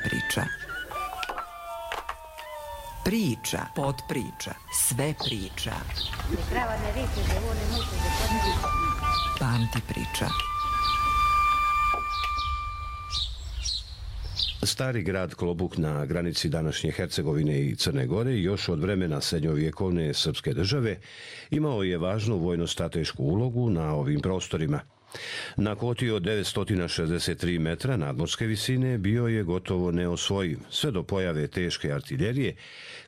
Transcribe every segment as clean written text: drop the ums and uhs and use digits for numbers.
priča. Priča, podpriča, sve priča. Pamti priča. Stari grad Klobuk na granici današnje Hercegovine i Crne Gore još od vremena srednjovjekovne srpske države imao je važnu vojno-stratešku ulogu na ovim prostorima. Na koti od 963 metra nadmorske visine bio je gotovo neosvojiv, sve do pojave teške artiljerije,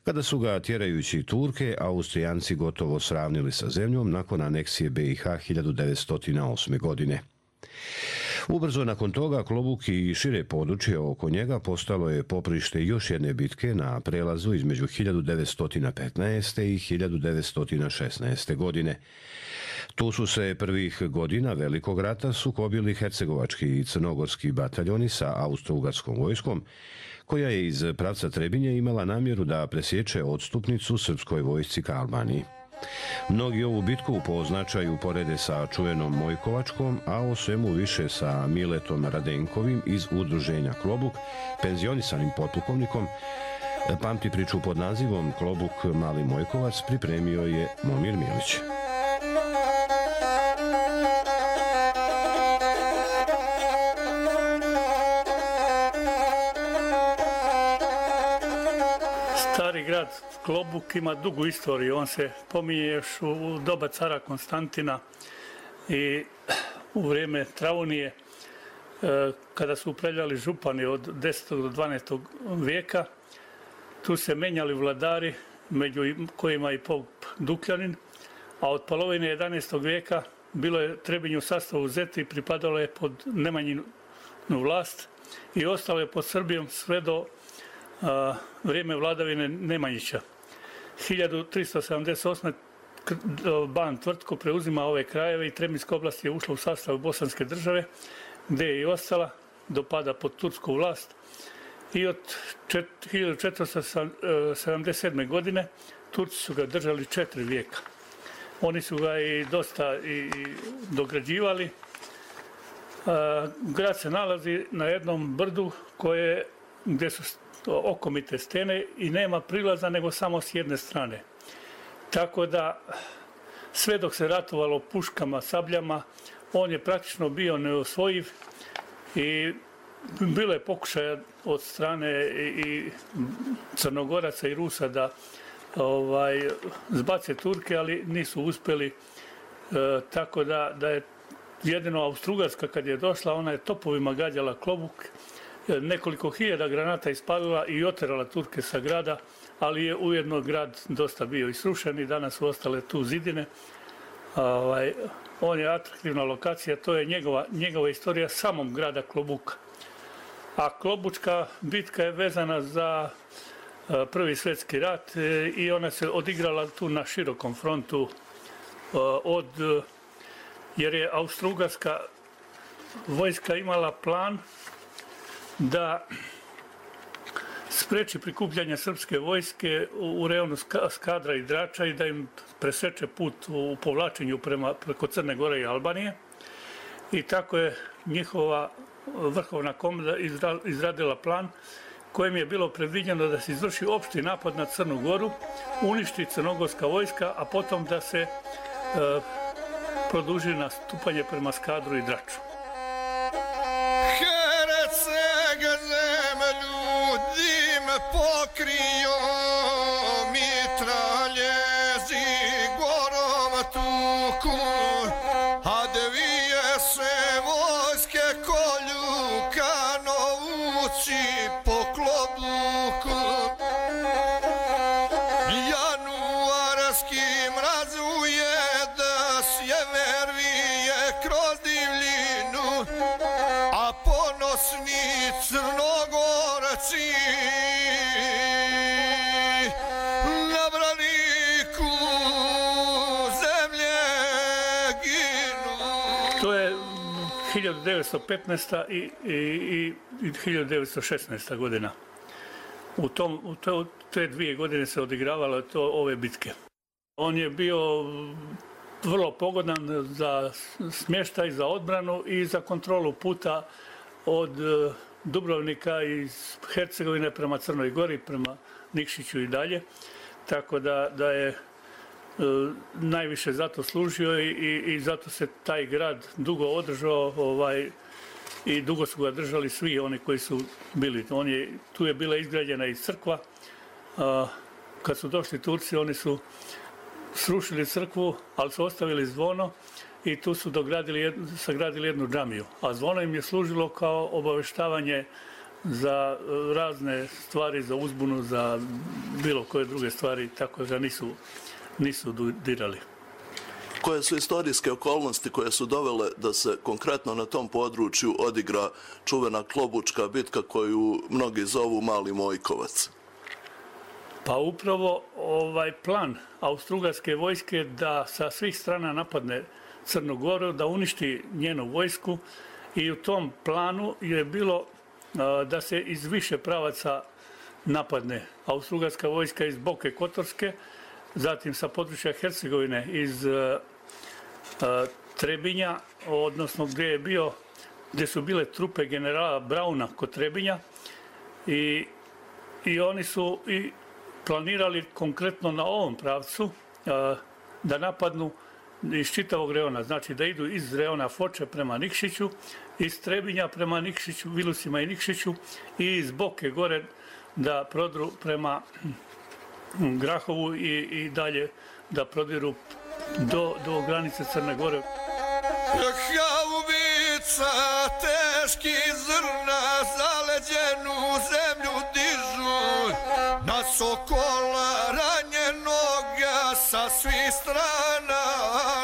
kada su ga tjerajući Turke, Austrijanci gotovo sravnili sa zemljom nakon aneksije BiH 1908. godine. Ubrzo nakon toga Klobuk i šire područje oko njega postalo je poprište još jedne bitke na prelazu između 1915. i 1916. godine. Tu su se prvih godina Velikog rata sukobili hercegovački i crnogorski bataljoni sa austro-ugarskom vojskom, koja je iz pravca Trebinje imala namjeru da presječe odstupnicu srpskoj vojsci ka Albaniji. Mnogi ovu bitku po značaju porede sa čuvenom Mojkovačkom, a o svemu više sa Miletom Radenkovim iz udruženja Klobuk, penzionisanim potpukovnikom. Pamti priču pod nazivom Klobuk Mali Mojkovac pripremio je Momir Milić. Stari grad Klobuk ima dugu istoriju, on se pominje još u doba cara Konstantina i u vrijeme Travunije, kada su upravljali župani od 10. do 12. vijeka. Tu se menjali vladari, među kojima i pop Dukljanin, a od polovine 11. vijeka bilo je Trebinje u sastavu Zeti i pripadalo je pod Nemanjinu vlast i ostalo je pod Srbijom sve do vrijeme vladavine Nemanjića. 1378. Ban Tvrtko preuzima ove krajeve i Trebinjska oblast je ušla u sastav Bosanske države, gdje je i ostala do pada pod tursku vlast. I od 1477. godine Turci su ga držali 4 vijeka. Oni su ga i dosta dograđivali. Grad se nalazi na jednom brdu gdje su okomite stene i nema prilaza nego samo s jedne strane. Tako da sve dok se ratovalo puškama, sabljama, on je praktično bio neosvojiv i bilo je pokušaja od strane i Crnogoraca i Rusa da zbace Turke, ali nisu uspjeli. Tako da je jedino Austro-Ugarska kad je došla, ona je topovima gađala Klobuk, nekoliko hiljada granata ispalila i oterala Turke sa grada, ali je ujedno grad dosta bio i srušen i danas su ostale tu zidine. On je atraktivna lokacija, to je njegova istorija samog grada Klobuka. A Klobučka bitka je vezana za Prvi svjetski rat i ona se odigrala tu na širokom frontu jer je Austro-Ugarska vojska imala plan da spreči prikupljanje srpske vojske u rejonu Skadra i Drača i da im preseče put u povlačenju preko Crne Gore i Albanije. I tako je njihova vrhovna komanda izradila plan kojim je bilo predviđeno da se izvrši opšti napad na Crnu Goru, uništi crnogorska vojska, a potom da se produži nastupanje prema Skadru i Draču. Pokrio mitraljezi gorom tuku, a dvije se vojske kolju kanovci po Klobuku. Januarski mrazuje da sjever vije kroz divljinu, a ponosni Crnogorci To je 1915. i 1916. godina. U te 2 godine se odigravalo ove bitke. On je bio vrlo pogodan za smještaj, za odbranu i za kontrolu puta od Dubrovnika, iz Hercegovine prema Crnoj Gori, prema Nikšiću i dalje. Tako da je najviše zato služio i zato se taj grad dugo održao i dugo su ga držali svi oni koji su bili. Tu je bila izgrađena i crkva. Kad su došli Turci, oni su srušili crkvu, ali su ostavili zvono i tu su sagradili jednu džamiju. A zvono im je služilo kao obaveštavanje za razne stvari, za uzbunu, za bilo koje druge stvari, tako da nisu dirali. Koje su istorijske okolnosti koje su dovele da se konkretno na tom području odigra čuvena Klobučka bitka koju mnogi zovu Mali Mojkovac? Pa upravo plan Austrougarske vojske da sa svih strana napadne Crnu Goru, da uništi njenu vojsku, i u tom planu je bilo da se iz više pravaca napadne Austrougarska vojska iz Boke Kotorske, zatim sa područja Hercegovine iz Trebinja, odnosno gdje su bile trupe generala Brauna kod Trebinja, i oni su i planirali konkretno na ovom pravcu da napadnu iz čitavog reona, znači da idu iz reona Foče prema Nikšiću, iz Trebinja prema Nikšiću, Vilusima i Nikšiću, i iz Boke gore da prodru prema Grahovu i dalje da prodiru do granice Crne Gore. Haubica teški zrna zaleđenu zemlju dižu, na sokola ranjenoga sa svih strana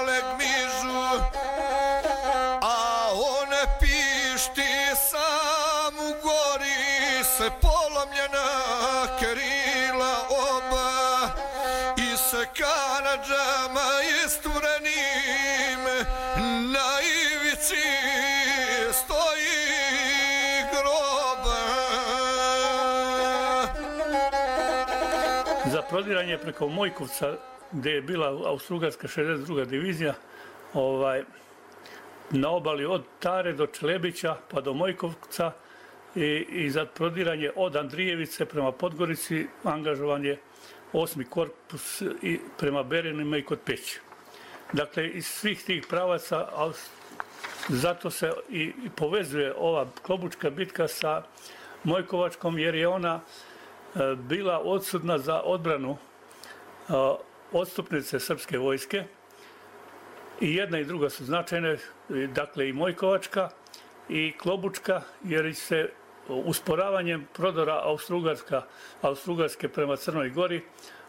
legmižu, a one pišti sam u gori se polomljena krila oba i se kanadžama isturenim na ivici stoji groba. Za prodiranje preko Mojkovca, gdje je bila Austrougarska 62. divizija, na obali od Tare do Čelebića pa do Mojkovca, i za prodiranje od Andrijevice prema Podgorici angažovan je 8. korpus i prema Berenima i kod Peći. Dakle, iz svih tih pravaca, zato se i povezuje ova Klobučka bitka sa Mojkovačkom, jer je ona bila odsudna za odbranu odstupnice srpske vojske. I jedna i druga su značajne, dakle i Mojkovačka i Klobučka, jer se usporavanjem prodora Austrougarske prema Crnoj Gori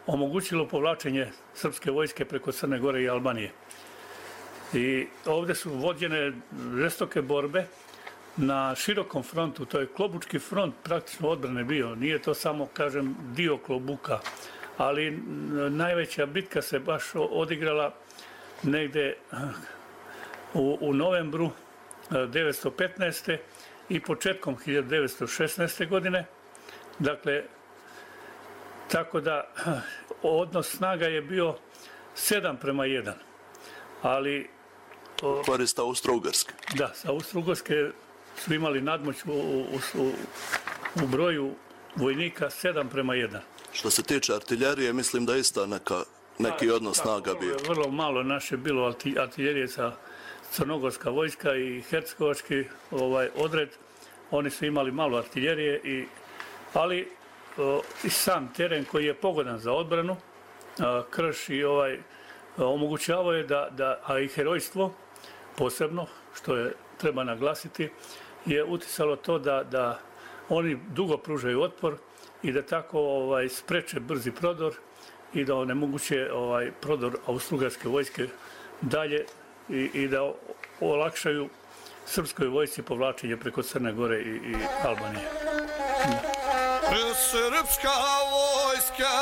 omogućilo povlačenje srpske vojske preko Crne Gore i Albanije. I ovdje su vođene žestoke borbe na širokom frontu, to je Klobučki front praktično odbrane bio, nije to samo, kažem, dio Klobuka, ali najveća bitka se baš odigrala negdje u novembru 1915. i početkom 1916. godine. Dakle, tako da odnos snaga je bio 7:1. Ali korist Austrougarske. Da, sa Austrougarske su imali nadmoć u broju vojnika 7:1. Što se tiče artiljerije, mislim da je ista neki odnos snaga bio. Vrlo malo naše bilo artiljerije sa crnogorska vojska i hercegovački odred. Oni su imali malo artiljerije, ali i sam teren koji je pogodan za odbranu, krš i omogućavao je a i herojstvo posebno, što je treba naglasiti, je uticalo to da oni dugo pružaju otpor i da tako spreče brzi prodor i da onemoguće prodor Austrougarske vojske dalje i da olakšaju srpskoj vojsci povlačenje preko Crne Gore i Albanije. Srpska vojska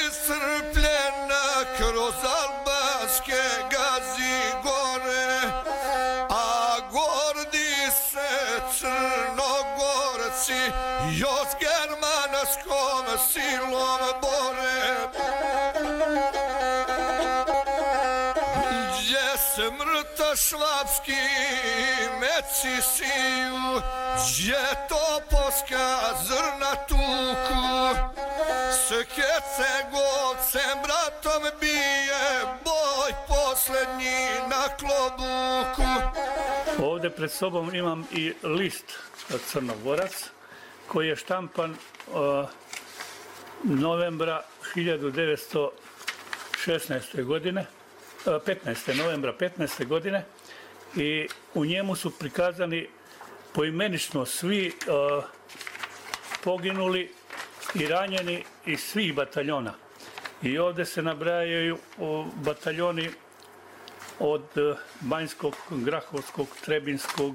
iscrpljena kroz albanske gazi gore, a gordi se Crnogorci još germanskom silom bore. Gdje se mrtav švapski meci siju, gdje topovska zrna tuku, s Hercegovcem bratom bije boj posljednji na klobuku. Ovdje pred sobom imam i list Crnogorac koji je štampan novembra 1916. godine, 15. novembra 15. godine i u njemu su prikazani poimenično svi poginuli i ranjeni iz svih bataljona. I ovdje se nabrajaju bataljoni od Banjskog, Grahovskog, Trebinskog,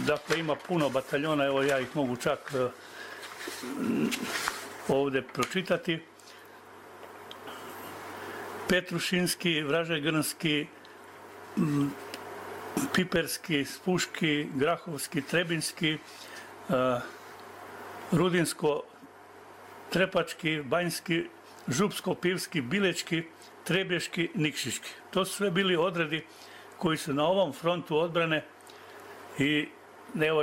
dakle ima puno bataljona, evo ja ih mogu čak ovdje pročitati. Petrušinski, Vražegrnski, Piperski, Spuški, Grahovski, Trebinski, Rudinsko, Trepački, Banjski, Župsko-Pivski, Bilečki, Trebeški, Nikšiški. To su sve bili odredi koji su na ovom frontu odbrane i evo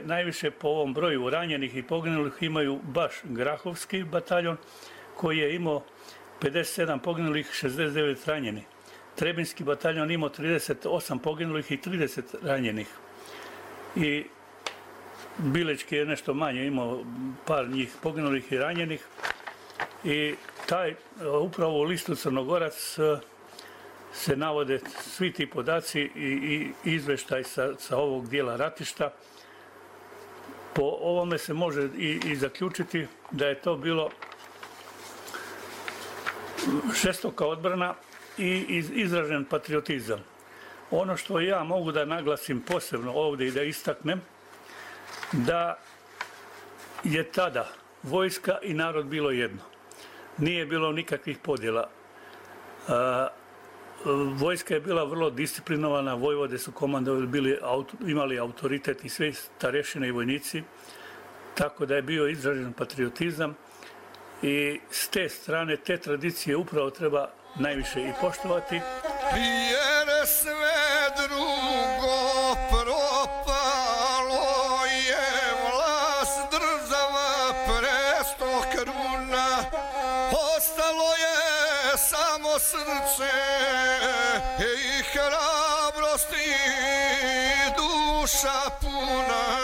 najviše po ovom broju ranjenih i poginulih imaju baš Grahovski bataljon koji je imao 57 poginulih, 69 ranjenih. Trebinski bataljon imao 38 poginulih i 30 ranjenih. I Bilečki je nešto manje, imao par njih poginulih i ranjenih. I upravo u listu Crnogorac se navode svi ti podaci i izveštaj sa ovog dijela ratišta. Po ovome se može i zaključiti da je to bilo žestoka odbrana i izražen patriotizam. Ono što ja mogu da naglasim posebno ovdje i da istaknem, da je tada vojska i narod bilo jedno. Nije bilo nikakvih podjela. Vojska je bila vrlo disciplinovana, vojvode su komandovali, imali autoritet i sve starešine i vojnici, tako da je bio izražen patriotizam i s te strane, te tradicije upravo treba najviše i poštovati. Jer sve drugo propalo je, vlast država presto kruna, ostalo je samo srce i hrabrost i duša puna.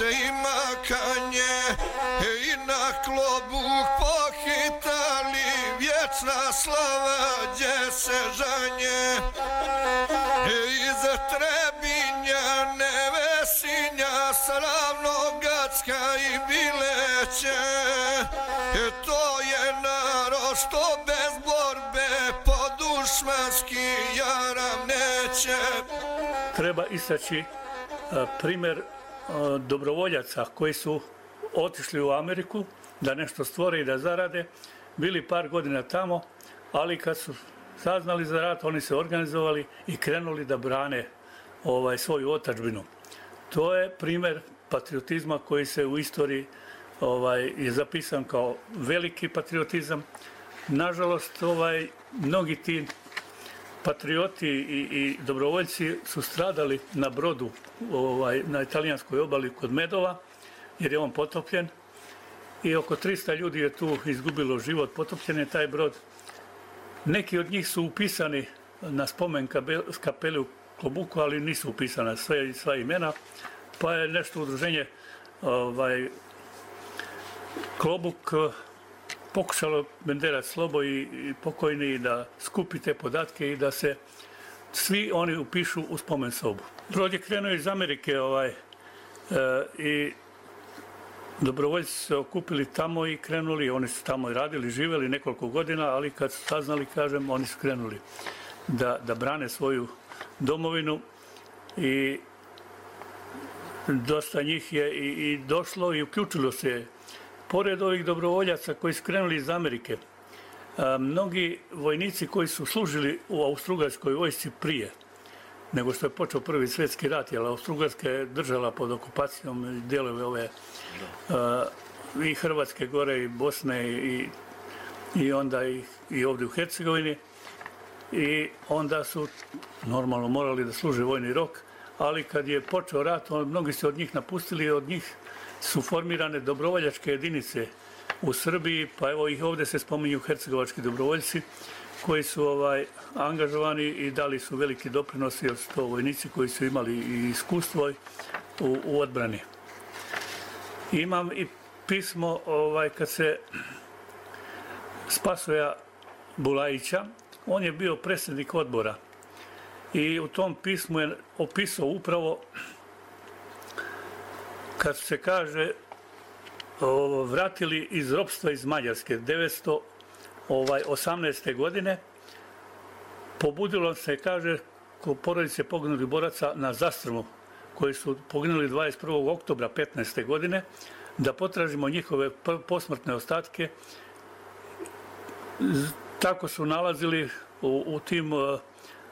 I makanje i na klobuk pohitali, vječna slava gdje se žanje. Iz Trebinja, Nevesinja, Sravnogacka i Bileće, to je narod što bez borbe po dušmanski jaram neće. Treba istaći primjer dobrovoljaca koji su otišli u Ameriku da nešto stvore i da zarade, bili par godina tamo, ali kad su saznali za rat, oni se organizovali i krenuli da brane svoju otadžbinu. To je primjer patriotizma koji se u istoriji je zapisan kao veliki patriotizam. Nažalost, mnogi ti patrioti i dobrovoljci su stradali na brodu na italijanskoj obali kod Medova, jer je on potopljen i oko 300 ljudi je tu izgubilo život, potopljen je taj brod. Neki od njih su upisani na spomen kapeli u Klobuku, ali nisu upisana sva imena, pa je nešto udruženje Klobuk pokušalo Benderac Slobo i pokojni da skupi te podatke i da se svi oni upišu u spomen sobu. Brod je krenuo iz Amerike i dobrovoljci su se okupili tamo i krenuli, oni su tamo i radili, živjeli nekoliko godina, ali kad su saznali, kažem, oni su krenuli da brane svoju domovinu i dosta njih je i došlo i uključilo se. Pored ovih dobrovoljaca koji su krenuli iz Amerike, mnogi vojnici koji su služili u Austrougarskoj vojsci prije, nego što je počeo Prvi svjetski rat, jer Austro-Ugarska je držala pod okupacijom dijelove ove i Hrvatske gore i Bosne i onda i ovdje u Hercegovini. I onda su normalno morali da služe vojni rok, ali kad je počeo rat, mnogi se od njih napustili, od njih su formirane dobrovoljačke jedinice u Srbiji, pa evo ih ovdje se spominju hercegovački dobrovoljci koji su angažovani i dali su veliki doprinos, jer su to vojnici koji su imali i iskustvo u odbrani. Imam i pismo kad se Spasoja Bulajića, on je bio predsjednik odbora i u tom pismu je opisao upravo kad se kaže vratili iz ropstva iz Mađarske 1918. godine, pobudilo se, kaže, porodice poginulih boraca na Zastrmu, koji su poginuli 21. oktobra 15. godine, da potražimo njihove posmrtne ostatke. Tako su nalazili u tim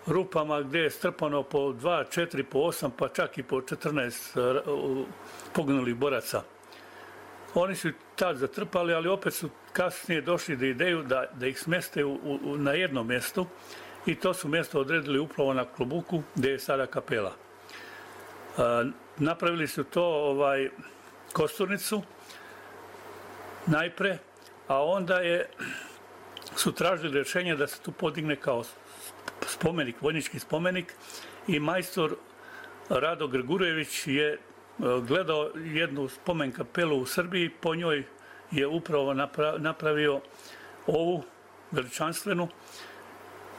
rupama gdje je strpano po 2, 4, po 8, pa čak i po 14 poginulih boraca. Oni su tad zatrpali, ali opet su kasnije došli do ideju da ih smeste na jedno mjesto i to su mjesto odredili upravo na Klobuku gdje je sada kapela. Napravili su to kosturnicu najpre, a onda su tražili rješenje da se tu podigne kao spomenik, vojnički spomenik, i majstor Rado Grgurević je gledao jednu spomen kapelu u Srbiji, po njoj je upravo napravio ovu veličanstvenu,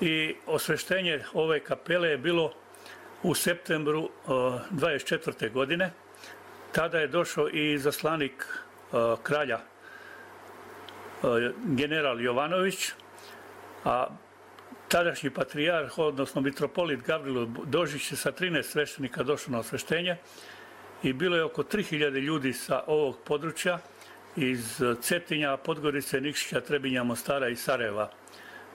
i osveštenje ove kapele je bilo u septembru 24. godine. Tada je došao i izaslanik kralja general Jovanović, a tadašnji patrijarh, odnosno mitropolit Gavrilo Dožić je sa 13 sveštenika došao na osveštenje i bilo je oko 3000 ljudi sa ovog područja iz Cetinja, Podgorice, Nikšića, Trebinja, Mostara i Sarajeva.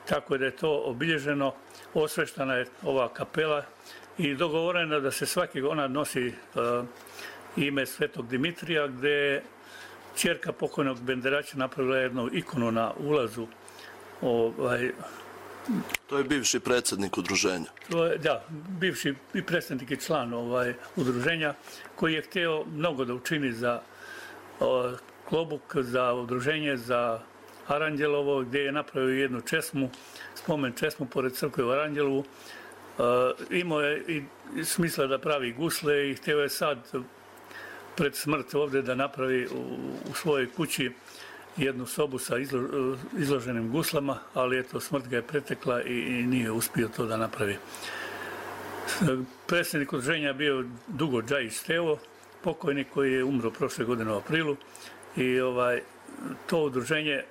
Tako da je to obilježeno, osveštana je ova kapela i dogovoreno je da se svaki ona nosi ime Svetog Dimitrija, gdje je ćerka pokojnog Benderača napravila jednu ikonu na ulazu. To je bivši predsjednik udruženja. Da, bivši i predsjednik i član udruženja, koji je htio mnogo da učini za Klobuk, za udruženje, za Aranđelovo, gdje je napravio jednu česmu, spomen česmu pored crkve u Aranđelovu. Imao je i smisla da pravi gusle i htio je sad pred smrt ovdje da napravi u svojoj kući jednu sobu sa izloženim guslama, ali eto, smrt ga je pretekla i nije uspio to da napravi. Predsjednik udruženja bio dugo Džajić Stevo, pokojnik, koji je umro prošle godine u aprilu, i to udruženje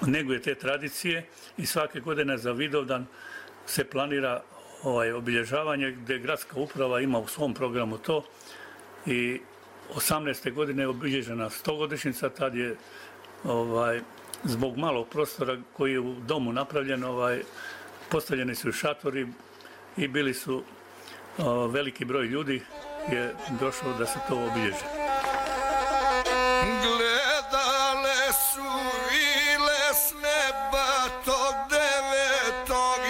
neguje te tradicije i svake godine za Vidovdan se planira obilježavanje, gdje gradska uprava ima u svom programu to, i 18. godine je obilježena 100-godišnjica, tad je zbog malog prostora koji je u domu napravljen, postavljeni su šatori i bili su veliki broj ljudi je došao da se to obilježi. Gledale su vile s neba tog 9.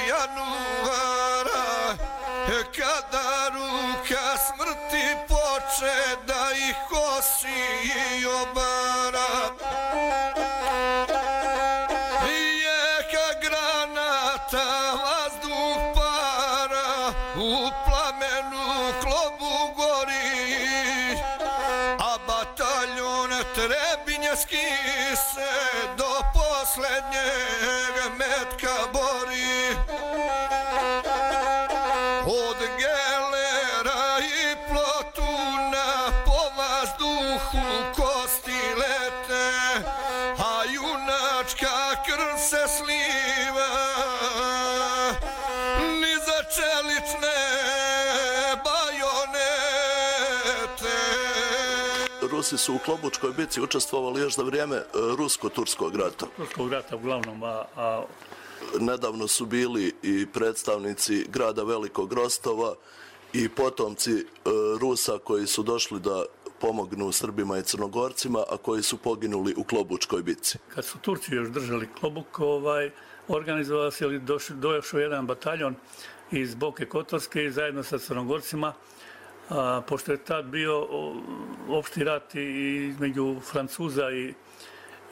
januara, kada ruka smrti poče da ih kosi i obara. Jeka granata, vazduh para, u plamenu Klobu gori, a bataljon Trebinjski se do posljednjeg metka bori. Od gelera i plotuna po vazduhu kosti lete, a junačka krv se sliva ni za čelične bajonete. Rusi su u Klobučkoj bici učestvovali još za vrijeme Rusko-Turskog rata. Turskog rata uglavnom, a nedavno su bili i predstavnici grada Velikog Rostova i potomci Rusa koji su došli da pomognu Srbima i Crnogorcima, a koji su poginuli u Klobučkoj bitci. Kad su Turci još držali Klobuk, organizovao se ili došao jedan bataljon iz Boke Kotorske i zajedno sa Crnogorcima, pošto je tad bio opšti rat između Francuza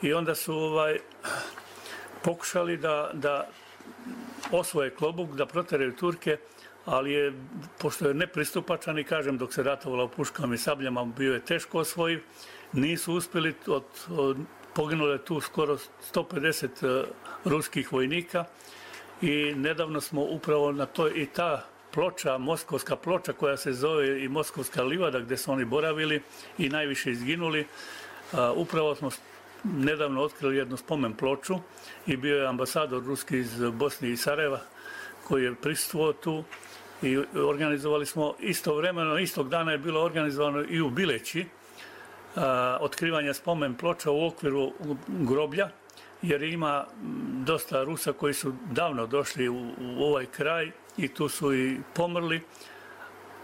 i onda su pokušali da osvoje Klobuk, da proteraju Turke, ali pošto je nepristupačan i kažem dok se ratovalo puškama i sabljama bio je teško osvojiv, nisu uspjeli, poginulo je tu skoro 150 ruskih vojnika i nedavno smo upravo na to i ta ploča, Moskovska ploča koja se zove i Moskovska livada gdje su oni boravili i najviše izginuli, upravo smo nedavno otkrili jednu spomen ploču i bio je ambasador ruski iz Bosne i Sarajeva koji je prisustvovao tu i organizovali smo istovremeno, istog dana je bilo organizovano i u Bileći otkrivanje spomen ploča u okviru groblja, jer ima dosta Rusa koji su davno došli u ovaj kraj i tu su i pomrli,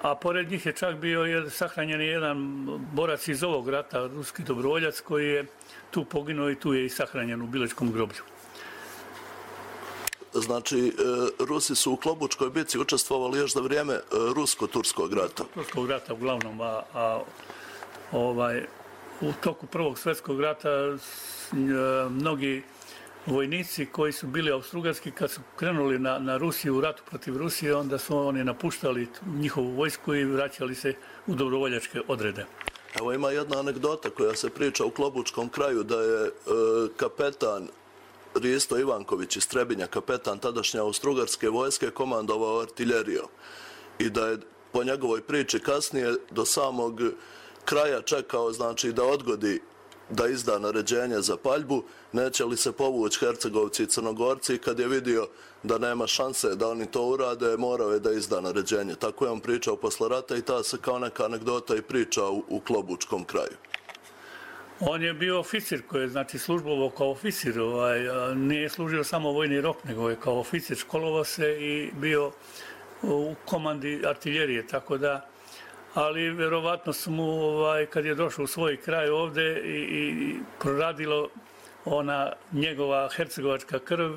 a pored njih je čak bio sahranjen jedan borac iz ovog rata, ruski dobrovoljac koji je tu poginuo i tu je i sahranjen u Bilečkom groblju. Znači, Rusi su u Klobučkoj bitci učestvovali još za vrijeme Rusko-Turskog rata. Turskog rata uglavnom, u toku Prvog svjetskog rata mnogi vojnici koji su bili austrougarski kad su krenuli na Rusiju, u ratu protiv Rusije, onda su oni napuštali njihovu vojsku i vraćali se u dobrovoljačke odrede. Evo ima jedna anegdota koja se priča u Klobučkom kraju da je kapetan Risto Ivanković iz Trebinja, kapetan tadašnje austrougarske vojske, komandovao artiljerijom i da je po njegovoj priči kasnije do samog kraja čekao, znači, da odgodi da izda naređenje za paljbu, neće li se povući Hercegovci i Crnogorci, i kad je vidio da nema šanse da oni to urade, morao je da izda naređenje. Tako je on pričao posle rata i ta se kao neka anegdota i priča u Klobučkom kraju. On je bio oficir koji je, znači, službovao kao oficir, nije služio samo vojni rok, nego je kao oficir školovao se i bio u komandi artiljerije, tako da, ali vjerovatno su mu, kad je došao u svoj kraj ovdje i proradilo ona njegova hercegovačka krv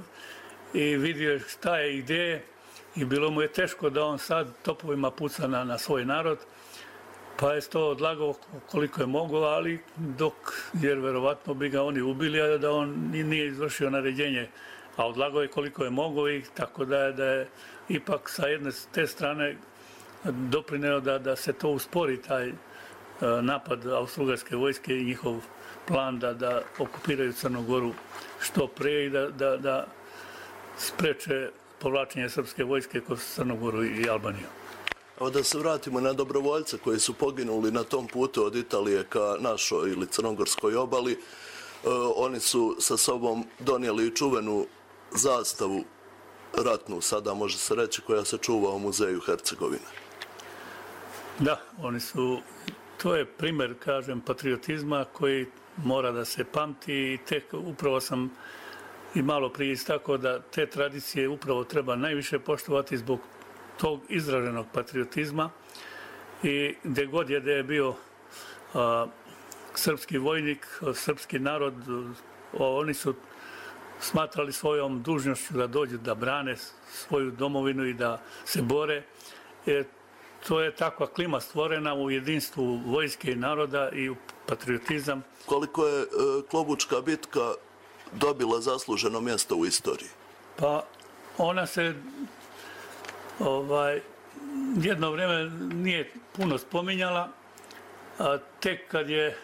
i vidio je šta je ideje i bilo mu je teško da on sad topovima puca na svoj narod, pa je to odlagao koliko je mogao, ali jer vjerovatno bi ga oni ubili, a da on nije izvršio naređenje, a odlagao je koliko je mogao i tako da je ipak sa jedne te strane doprineo da se to uspori, taj napad austrougarske vojske i njihov plan da okupiraju Crnu Goru što prije i da spreče povlačenje srpske vojske kroz Crnu Goru i Albaniju. Evo da se vratimo na dobrovoljce koji su poginuli na tom putu od Italije ka našoj ili crnogorskoj obali. Oni su sa sobom donijeli čuvenu zastavu ratnu, sada može se reći, koja se čuva u muzeju Hercegovine. Da, to je primjer, kažem, patriotizma koji mora da se pamti i upravo sam i malo prije istakao da te tradicije upravo treba najviše poštovati zbog tog izraženog patriotizma i gdje god je bio srpski vojnik, srpski narod, oni su smatrali svojom dužnošću da dođu da brane svoju domovinu i da se bore. To je takva klima stvorena u jedinstvu vojske i naroda i u patriotizam. Koliko je Klobučka bitka dobila zasluženo mjesto u istoriji? Pa ona se jedno vrijeme nije puno spominjala, a tek kad je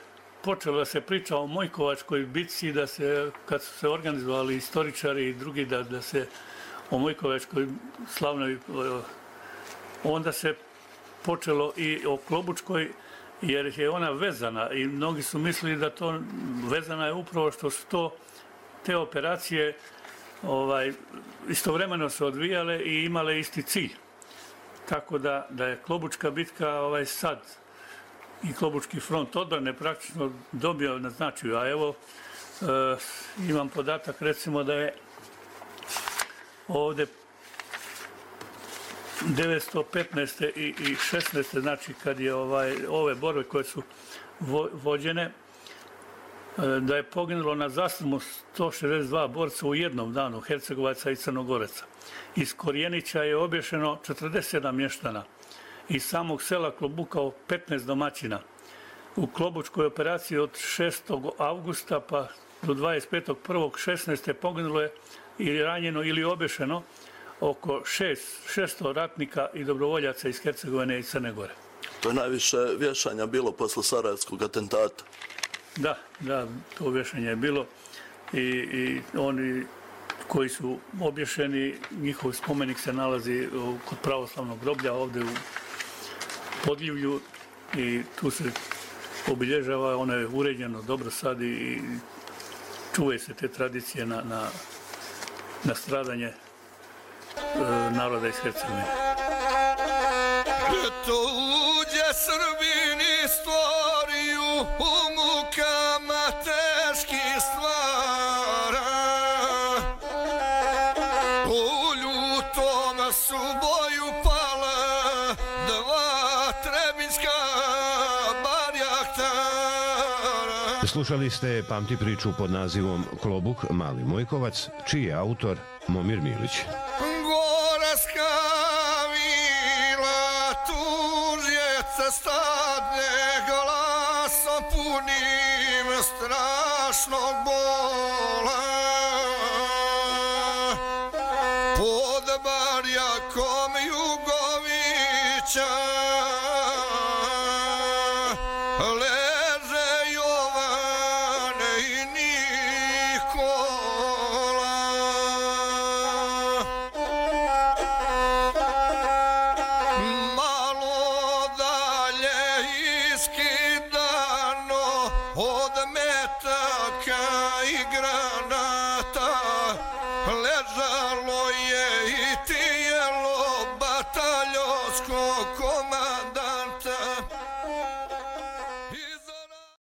počelo da se priča o Mojkovačkoj bitci, kad su se organizovali istoričari i drugi da se o Mojkovačkoj slavnoj, onda se počelo i o Klobučkoj, jer je ona vezana i mnogi su mislili da to vezana je upravo što su te operacije istovremeno se odvijale i imale isti cilj. Tako da je Klobučka bitka sad i Klobučki front odbrane praktično dobio na značaju. A evo, imam podatak recimo da je ovde 915. i 16. znači kad je ove borbe koje su vođene, da je poginulo na zaslonu 162 borca u jednom danu, Hercegovaca i Crnogoraca. Iz Korjenića je obješeno 47 mještana. Iz samog sela Klobukao 15 domaćina. U Klobučkoj operaciji od 6. avgusta pa do 25.1.16. poginulo je ili ranjeno ili obješeno oko 600 ratnika i dobrovoljaca iz Hercegovine i Crne Gore. To je najviše vješanja bilo posle Sarajevskog atentata. Da, to vješanje je bilo i oni koji su obješeni, njihov spomenik se nalazi kod pravoslavnog groblja ovdje u Podljivlju i tu se obilježava, ono je uređeno dobro sad i čuvaju se te tradicije na stradanje naroda iz Hercegovine. Tuđe Srbini stvoriju u mukama teški stvara, u ljutom su boju pala dva trebinjska barjaktara. Slušali ste Pamti priču pod nazivom Klobuk, Mali Mojkovac, čiji je autor Momir Milić. Goraska vila tužjeca stadne glasom punim strašnog bola. Pod barjakom Jugovića leže Jovane i Nikola. Malo dalje iskidano od metaka i granata ležalo je i tijelo bataljonskog komandanta.